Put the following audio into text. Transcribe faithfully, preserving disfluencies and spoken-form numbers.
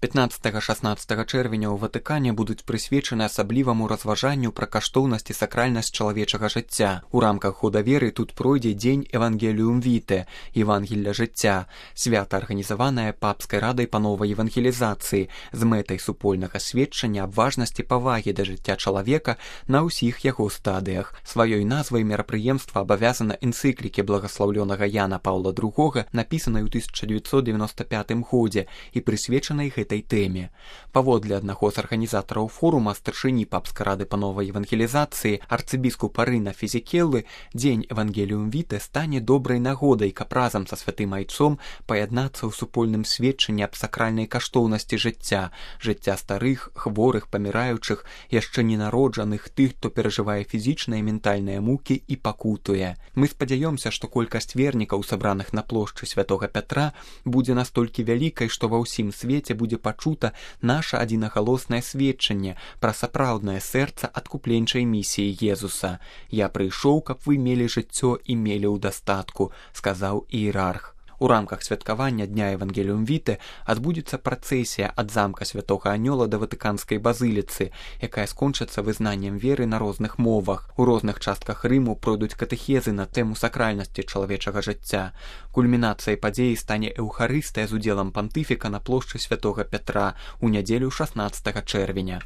пятнаццатага-шаснаццатага чэрвеня ў Ватыкане будуць прысвечаны асабліваму разважанню пра каштоўнасць і сакральнасць чалавечага жыцця. У рамках года веры тут пройдзе дзень Евангеліум Віте, Евангелля жыцця, свята арганізаванае папскай радай па новай евангелізацыі з мэтай супольнага сведчання аб важнасці павагі да жыцця чалавека на ўсіх яго стадыях. Сваёй назвай мерапрыемства абавязана энцыклікі благаслаўлёнага Яна Паўла другога, напісанай у тысяча дзевяцьсот девяносто пятым годзе і прысвечанай гэтай тэме. Паводле аднаго з арганізатараў форума, старшыні папскай рады па новай евангелізацыі, арцыбіскупа Рына Фізікеллы, дзень Евангеліум Віте стане добрай нагодай, каб разам са святым айцом паяднацца ў супольным сведчанні аб сакральнай каштоўнасці жыцця, жыцця старых, хворых, паміраючых, яшчэ ненароджаных, тых, хто перажывае фізічныя і ментальныя мукі і пакутуе. Мы спадзяёмся, што колькасць вернікаў, сабраных на плошчы святога Пятра, будзе настолькі вялікай, што ва ўсім свеце будзе пачута наша адзінагалоснае сведчанне пра сапраўднае сэрца адкупленчай місіі Езуса. «Я прыйшоў, каб вы мелі жыццё і мелі ў дастатку», сказаў іерарх. У рамках святкавання дня Евангеліум Віте адбудзецца працэсія ад замка святога Анёла да Ватыканскай базыліцы, якая скончыцца вызнаннем веры на розных мовах. У розных частках Рыму пройдуць катэхезы на тэму сакральнасці чалавечага жыцця. Кульмінацыяй падзеі стане эўхарыстыя з удзелам пантыфіка на плошчы святога Пятра ў нядзелю шаснаццатага чэрвеня.